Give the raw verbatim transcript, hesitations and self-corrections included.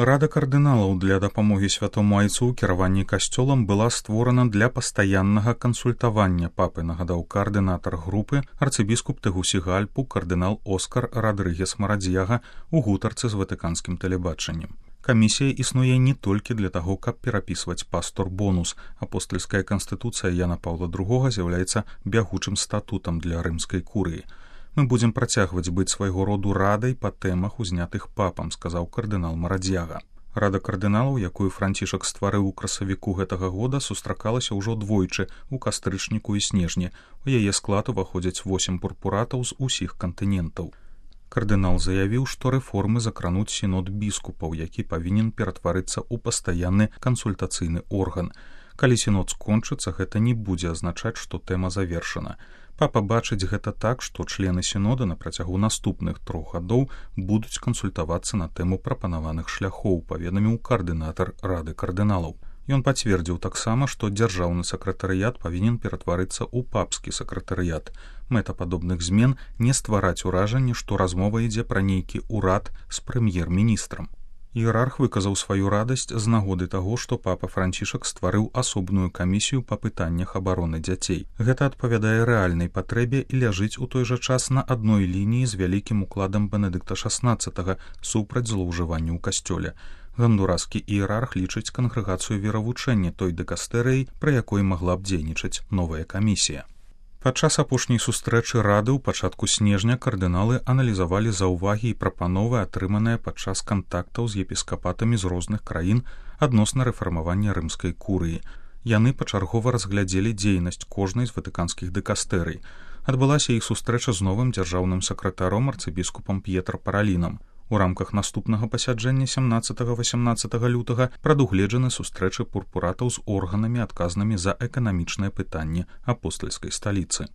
Рада кардыналаў для дапамогі святому айцу ў кіраванні касцёлам была створана для пастаяннага кансультавання папы, нагадаў каардынатар групы арцыбіскуп Тегусігальпу кардынал Оскар Радрыгес Марадзьяга ў гутарцы з ватыканскім тэлебачаннем. Камісія існуе не толькі для таго, каб перапісваць пастор-бонус. Апостальская канстытуцыя Яна Паўла другога з'яўляецца бягучым статутам для рымскай курыі. Мы будзем працягваць быць свайго роду радай па тэмах, узнятых папам, сказаў кардынал Марадзьяга. Рада кардыналаў, якую Францішак стварыў у красавіку гэтага года, сустракалася ўжо двойчы ў кастрычніку і снежні. У яе склад уваходзяць восем пурпуратаў з усіх кантынентаў. Кардынал заявіў, што рэформы закрануць сінод біскупаў, які павінен ператварыцца ў пастаянны кансультацыйны орган. Калі сінод скончыцца, гэта не будзе азначаць, што тэма завершана. Папа бачыць гэта так, што члены сінода на працягу наступных трох гадоў будуць кансультавацца на тэму прапанаваных шляхоў, паведаміў каардынатар Рады кардыналаў. Ён пацвердзіў таксама, што дзяржаўны сакратарыят павінен ператварыцца ў папскі сакратарыят. Мэта падобных змен не ствараць уражанне, што размова ідзе пра нейкі ўрад з прэм'ер-міністрам. Іерарх выказаў сваю радасць з нагоды таго, што папа Францішак стварыў асобную камісію па пытаннях абароны дзяцей. Гэта адпавядае рэальнай патрэбе і ляжыць у той жа час на адной лініі з вялікім укладам Бенедыкта шаснаццатага супраць злоўжывання ў касцёле. Гондураскі іерарх лічыць кангрэгацыю веравучэння той дыкастэрыяй, пры якой магла б дзейнічаць новая камісія. Падчас апошняй сустрэчы рады ў пачатку снежня кардыналы аналізавалі заўвагі і прапановы, атрыманыя падчас кантактаў з епіскапатамі з розных краін адносна рэфармавання рымскай курыі. Яны пачаргова разглядзелі дзейнасць кожнай з ватыканскіх дыкастэрый. Адбылася іх сустрэча з новым дзяржаўным сакратаром арцыбіскупам П'етра Паралінам. У рамках наступнага пасяджэння сямнаццатага-васямнаццатага лютага прадугледжаны сустрэчы пурпуратаў з органамі, адказнымі за эканамічныя пытанні апостальскай сталіцы.